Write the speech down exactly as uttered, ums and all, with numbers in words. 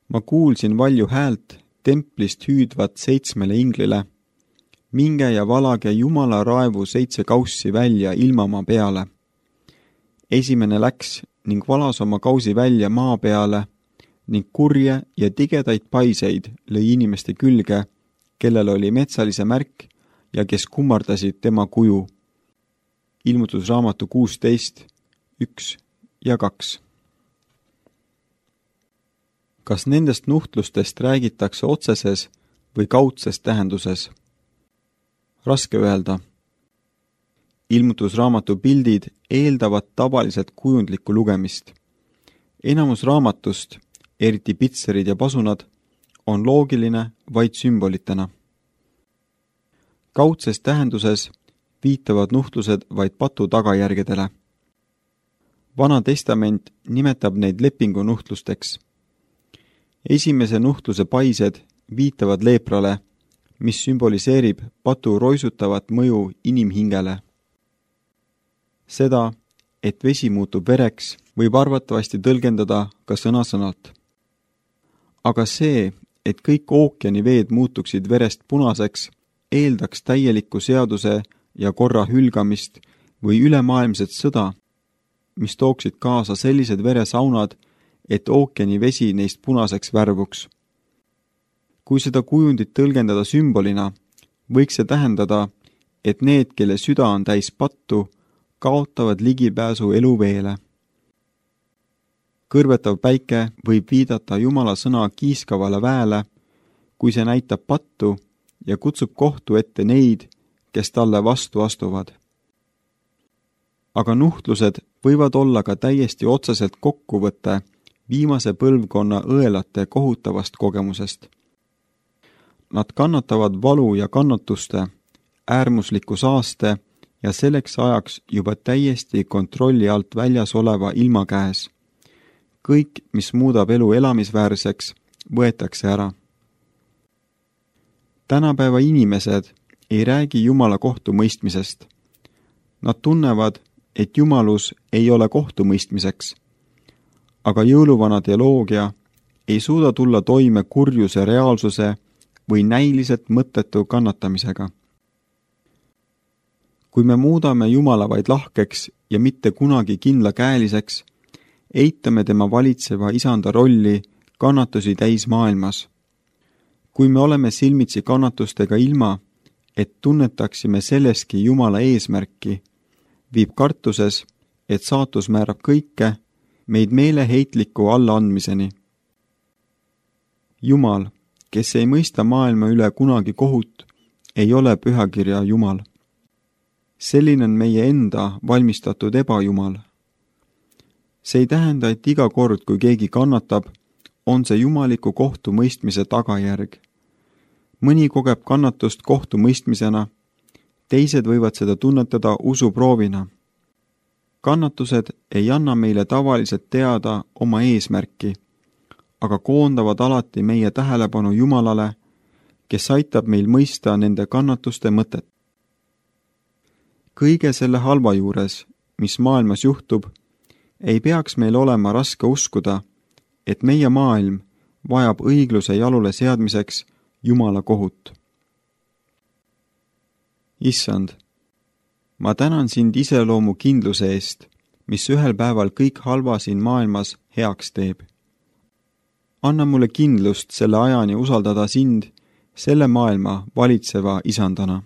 Ma kuulsin valju häält templist hüüdvat seitsmele inglile. Minge ja valage Jumala raevu seitse kaussi välja ilmamaa peale. Esimene läks ning valas oma kausi välja maa peale ning kurje ja tigedaid paiseid lõi inimeste külge, kellel oli metsalise märk ja kes kummardasid tema kuju. Ilmutusraamatu kuusteist, üks ja kaks. Kas nendest nuhtlustest räägitakse otseses või kaudses tähenduses? Raske öelda. Ilmutusraamatu pildid eeldavad tavaliselt kujundlikku lugemist. Enamus raamatust, eriti pitserid ja pasunad, on loogiline vaid sümbolitena. Kaudses tähenduses viitavad nuhtlused vaid patu tagajärgedele. Vana testament nimetab neid lepingu nuhtlusteks. Esimese nuhtluse paised viitavad leeprale, mis sümboliseerib patu roisutavat mõju inimhingele. Seda, et vesi muutub vereks, võib arvatavasti tõlgendada ka sõna-sõnalt. Aga see, et kõik ookeani veed muutuksid verest punaseks, eeldaks täielikku seaduse ja korra hülgamist või ülemaailmset sõda, mis tooksid kaasa sellised veresaunad, et ookeani vesi neist punaseks värvuks. Kui seda kujundit tõlgendada sümbolina, võiks see tähendada, et need, kelle süda on täis pattu, kaotavad ligipääsu eluveele. Kõrvetav päike võib viidata Jumala sõna kiiskavale väele, kui see näitab pattu ja kutsub kohtu ette neid, kes talle vastu astuvad. Aga nuhtlused võivad olla ka täiesti otseselt kokkuvõte viimase põlvkonna õelate kohutavast kogemusest. Nad kannatavad valu ja kannatuste, äärmusliku saaste ja selleks ajaks juba täiesti kontrolli alt väljas oleva ilma käes. Kõik, mis muudab elu elamisväärseks, võetakse ära. Tänapäeva inimesed ei räägi Jumala kohtumõistmisest. Nad tunnevad, et Jumalus ei ole kohtumõistmiseks. Aga jõuluvana teoloogia ei suuda tulla toime kurjuse reaalsuse või näiliselt mõttetu kannatamisega. Kui me muudame Jumala vaid lahkeks ja mitte kunagi kindlakäeliseks, eitame tema valitseva isanda rolli kannatusi täis maailmas. Kui me oleme silmitsi kannatustega ilma, et tunnetaksime selleski Jumala eesmärki, viib kartuses, et saatus määrab kõike, meid meeleheitliku allaandmiseni. Jumal, kes ei mõista maailma üle kunagi kohut, ei ole pühakirja Jumal. Selline on meie enda valmistatud ebajumal. See ei tähenda, et iga kord, kui keegi kannatab, on see jumaliku kohtumõistmise tagajärg. Mõni kogeb kannatust kohtumõistmisena, teised võivad seda tunnetada usuproovina. Kannatused ei anna meile tavaliselt teada oma eesmärki, aga koondavad alati meie tähelepanu Jumalale, kes aitab meil mõista nende kannatuste mõtet. Kõige selle halva juures, mis maailmas juhtub, ei peaks meil olema raske uskuda, et meie maailm vajab õigluse jalule seadmiseks Jumala kohut. Issand, ma tänan sind iseloomu kindluse eest, mis ühel päeval kõik halva siin maailmas heaks teeb. Anna mulle kindlust selle ajani usaldada sind selle maailma valitseva isandana.